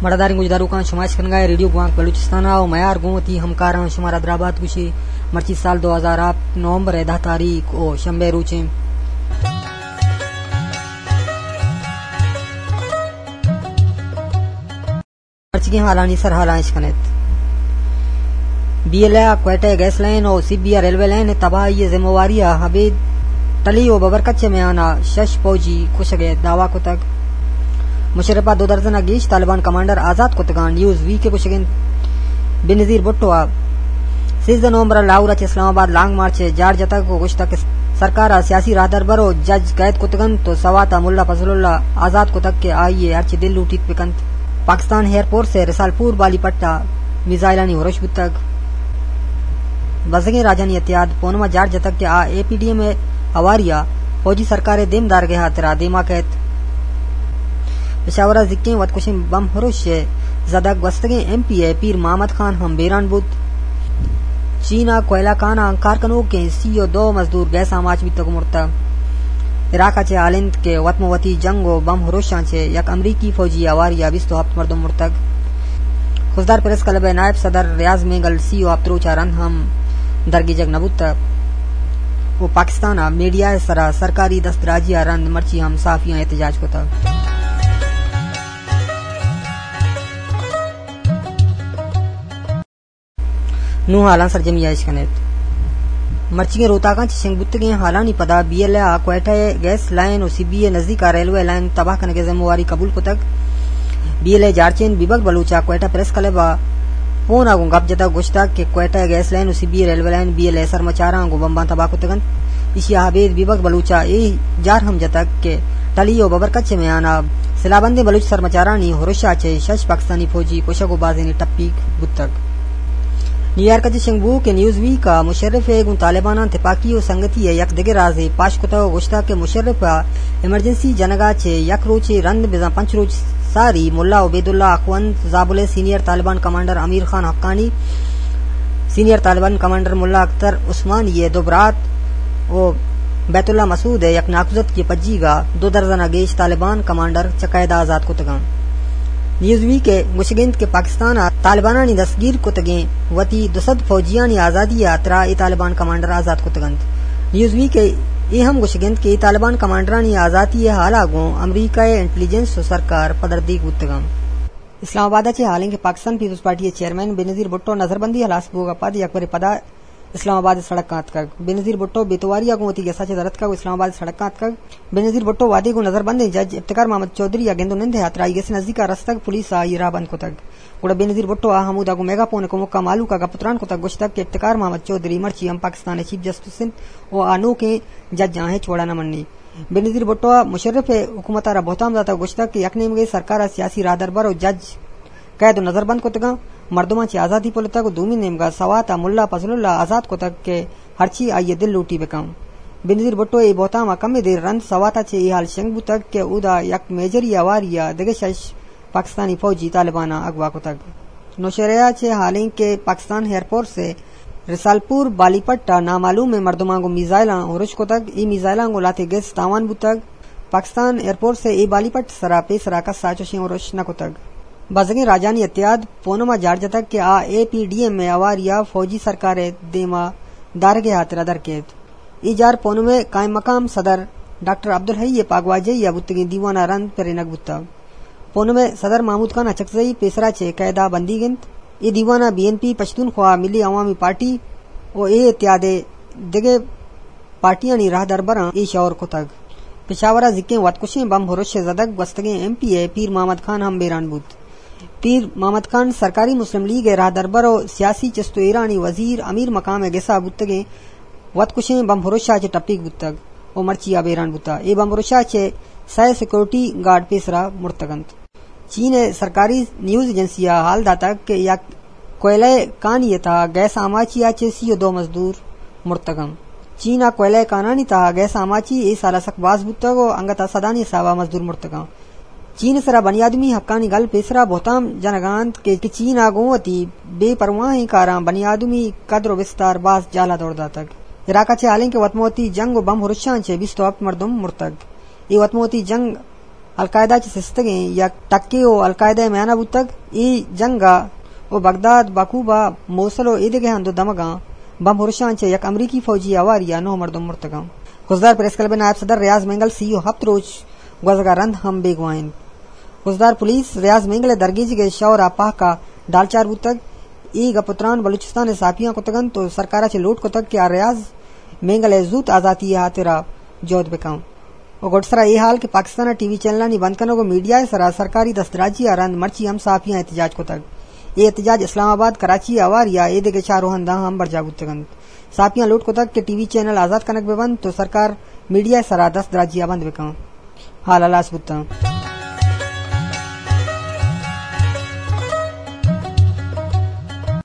پڑداریں گوشداروکاں، شما اشکنگا ریڈیو گوانک بلوچستان ءَ ءُ میار گوں وتی ہمکاراں شمارا درابات گوشی۔ مرچی سال دو ہزار ہپت نومبر ءِ دہ تاریخ ءُ شنبے روچیں۔ مرچیگیں حالانی سرحالاں اشکنیت۔ بی ایل اے ءَ کوئٹہ ءِ گیس لائن ءُ سبی ءِ ریلوے لائن ءِ تباہی ءِ ذمہ واری ءَ ابید ٹلی ءُ ببرکچ ءِ میان ءَ شش فوجی کشگ ءِ دعویٰ کتگ۔ مشرف ءَ دو درزن ءَ گیش طالبان کمانڈر آزات کتگاں، نیوز ویک ءِ گوشگ انت۔ بے نظیر بھٹو ءَ سیزدہ نومبر ءَ لاہور ءَ چہ اسلام آباد لانگ مارچ ءِ جار جتگ ءُ گوشتگ کہ سرکار ءَ سیاسی راہدربر ءُ جج قید کتگ انت ءُ سوات ءَ ملا فضل اللہ آزات کتگ کہ آئی ءَ ہرچی دل لوٹیت بکنت۔ پاکستان ایئر فورس ءِ رسالپور بالی پٹ ءَ میزائلانی ہرش بوتگ۔ بزگیں راجانی اتحاد پونم ءَ جار جتگ کہ آ اے پی ڈی ایم ءِ ہواری ءَ فوجی سرکار ءِ دیم دارگ ءِ ہاترا دیما کئیت۔ پشاور ءَ زکیں وتکشیں بم ہرش ءِ زدگ گوستگیں ایم پی اے پیر محمد خان ہم بیران بوت۔ چین ءَ کوئلہ کان ءَ کار کنوکیں سی ءُ دو مزدور گیس آماچ بیتگ ءُ مرتگ۔ عراق ءَ چہ حال انت کہ وت ماں وتی جنگ ءُ بم ہرشاں چہ یک امریکی فوجی ہواری ءَ بیست ءُ ہپت مردم مرتگ۔ خضدار پریس کلب ءِ نائب صدر ریاض مینگل سی ءُ ہپت روچ ءَ رند ہم درگیجگ نہ بوتگ ءُ پاکستان ءَ میڈیا ءِ سرا سرکاری دست دراجی ءَ رند مرچی ہم صحافیاں احتجاج کتگ۔ نوں حالاں سرجمی ءَ اش کنیت۔ مرچیگیں روتاکاں چہ شنگ بوتگیں حالانی پدا بی ایل اے ءَ کوئٹہ ءِ گیس لائن ءُ سبی ءِ نزیک ءَ ریلوے لائن تباہ کنگ ءِ ذمہ واری قبول کتگ۔ بی ایل اے جارچین بیبک بلوچ ءَ کوئٹہ پریس کلب ءَ پون ءَ گوں گپ جتگ ءُ گوشتگ کہ کوئٹہ ءِ گیس لائن ءُ سبی ءِ ریلوے لائن بی ایل اے سرمچاراں گوں بمباں تباہ کتگ انت۔ ایشی ءَ ابید بیبک بلوچ ءَ اے جار ہم جتگ کہ ٹلی ءُ ببرکچ ءِ میان ءَ سلاہ بندیں بلوچ سرمچارانی ہرش ءَ چہ شش پاکستانی فوجی کشگ ءُ بازینے ٹپیگ بوتگ۔ نیویارک ءَ چہ شنگ بوؤکیں نیوز ویک ءَ مشرف ءَ گوں طالباناں تپاکی ءُ سنگتی ءِ یک دگہ رازے پاش کتگ ءُ گوشتگ کہ مشرف ءَ ایمرجنسی جنگ ءَ چہ یک روچے رند بزاں پنچ روچ ساری ملا عبیداللہ اخوند، زابل ءِ سینئر طالبان کمانڈر امیر خان حقانی، سینئر طالبان کمانڈر ملا اختر عثمانی ءِ دو برات ءُ بیت اللہ مسعود ءِ یک ناکوزتکی ءِ پجیگ ءَ دو درزن ءَ گیش طالبان کمانڈر چہ قید ءَ آزات کتگ انت۔ نیوز ویک ءِ گوشگ انت کہ پاکستان ءَ طالبانانی دستگیر کتگیں وتی دو سد فوجیانی آزادی ءِ ہاترا اے طالبان کمانڈر آزات کتگ انت۔ نیوز ویک ءِ اے ہم گوشگ انت کہ اے طالبان کمانڈرانی آزاتی ءِ حال ءَ گوں امریکہ ءِ انٹیلیجنس ءُ سرکار پدردیگ بوتگ انت۔ اسلام آباد ءَ چہ حال انت کہ پاکستان پیپلز پارٹی ءِ چیئرمین بینظیر بھٹو ءِ نظربندی ہلاس بوگ ءَ پد یک برے پدا اسلام آباد ءِ سڑکاں اتکگ۔ بینظیر بھٹو بے تواری ءَ گوں وتی گس ءَ چہ در اتکگ ءُ اسلام آباد ءِ سڑکاں اتکگ۔ بینظیر بھٹو وھدے گوں نظربندیں جج افتخار محمد چوہدری ءِ گند ءُ نند ءِ ہاترا آئی گس ءِ نزیک ءَ رستگ، پولیس ءَ آئی ءِ راہ بند کتگ۔ گڑا بینظیر بھٹو ءَ ہمودا گوں میگا فون ءِ کمک ءَ مھلوک ءَ گپ ءُ تران کتگ، گوشتگ کہ افتخار محمد چوہدری مرچی ہم پاکستان ءِ چیف جسٹس انت ءُ آ نوکیں ججاں ہچ وڑ ءَ نہ منی۔ بینظیر بھٹو ءَ مشرف ءِ حکومت ءَ را بہتام داتگ ءُ گوشتگ کہ یک نیمگے سرکار ءَ سیاسی راہدربر ءُ جج قید ءُ نظربند کتگاں، مردماں چہ آزادی پلتگ ءُ دومی نیمگ ءَ سوات ءَ ملا فضل اللہ آزات کتگ کہ ہرچی آئی ءِ دل لوٹی بکن۔ بینظیر بھٹو ءِ اے بہتام ءَ کمے دیر رند سوات ءَ چہ اے حال شنگ بوتگ کہ اودا یک میجری ہواری ءَ دگہ شش پاکستانی فوجی طالباناں اغوا کتگ۔ نوشہرہ ءَ چہ حال انت کہ پاکستان ایئر فورس ءَ رسالپور بالی پٹ ءَ نامعلومیں مردماں گوں میزائلاں ہرش کتگ۔ اے میزائلاں گوں لہتے گس تاوان بوتگ۔ پاکستان ایئر فورس ءَ اے بالی پٹ ءِ سرا پیسرا کس ءَ چوشیں ہرش نہ کتگ۔ بزگیں راجانی اتحاد پونم ءَ جار جتگ کہ آ اے پی ڈی ایم ءِ ہواری ءَ فوجی سرکار ءِ دیم ءَ دارگ ءِ ہاترا در کیت۔ اے جار پونم ءِ قائم مقام صدر ڈاکٹر عبدالحی ءِ پاگواجہی ءَ بوتگیں دیوان ءَ رند پرینگ بوتگ۔ پونم ءِ صدر محمود خان اچکزئی پیسرا چہ قید ءَ بندیگ انت۔ اے دیوان ءَ بی این پی، پشتونخوا ملی عوامی پارٹی ءُ اے اتحاد ءِ دگہ پارٹیانی راہدربراں اے شئور کتگ۔ پشاور ءَ زکیں وتکشیں بمب ہرش ءِ زدگ گوستگیں ایم پی اے پیر محمد خان ہم بیران بوت۔ پیر محمد خان سرکاری مسلم لیگ ءِ راہدربر ءُ سیاسی چست ءُ ایرانی وزیر امیر مقام ءِ گس ءَ بوتگیں وتکشیں بمب ہرش ءَ چہ ٹپیگ بوتگ ءُ مرچی آ بیران بوتگ۔ اے بمب ہرش ءَ چہ سئے سیکورٹی گارڈ پیسرا مرتگ انت۔ چین ءِ سرکاری نیوز ایجنسی ءَ حال داتگ کہ یک کوئلہ ءِ کانی ءِ تہا گیس آماچی ءَ چہ سی ءُ دو مزدور مرتگ انت۔ چین ءَ کوئلہ ءِ کانانی تہا گیس آماچی اے سال ءَ سک باز بوتگ ءُ انگت ءَ سدانی حساب ءَ مزدور مرتگ انت۔ چین ءِ سرا بنی آدمی حقانی گل پیسرا بہتام جنگ ءَ انت کہ، کہ چین ءَ گوں وتی بے پرواہیں کاراں بنی آدمی قدر ءُ بستار باز جہل ءَ دور داتگ۔ عراق ءَ چہ حال انت کہ وت ماں وتی جنگ ءُ بمب ہرشاں چہ بیست ءُ ہپت مردم مرتگ۔ اے وت ماں وتی جنگ القاعدہ چہ سستگیں یک ٹکے و القاعدہ ء میانہ بوتگ۔ اے جنگ ء و بغداد، باکوبا، موصل و ایدگہ ہند و دمگاں بمب ہرشاں چہ یک امریکی فوجی آواری ء نو مردم مرتگاں۔ خضدار پریس کلب ء نائب صدر ریاض مینگل سی و ہپت روچ گوزگ ء رند ہم بیگواہ انت۔ خضدار پولیس ریاض مینگل ء درگیجگ ء شور ء پہک ء ڈالچار بوتگ۔ اے گپ و تران بلوچستان ء صحافیاں کتگ انت و سرکار ء چہ لوٹ کتگ کہ آ ریاض مینگل ء زوت آزاتی ء ہاترا جہد بکن۔ و گڈسرا اے حال کہ پاکستان ء ٹی وی چینلانی بند کنگ و میڈیا ء سرا سرکاری دستدراجی ء رند مرچی ہم صحافیاں احتجاج کتگ۔ اے احتجاج اسلام آباد، کراچی ء آواری ء ایدگہ چار روہنداں ہم برجاہ بوتگ انت۔ صحافیاں لوٹ کتگ کہ ٹی وی چینل آزاد کنگ بہ بنت و سرکار میڈیا ء سرا دستدراجی ء بند بکن۔ حال ہلاس بوتاں۔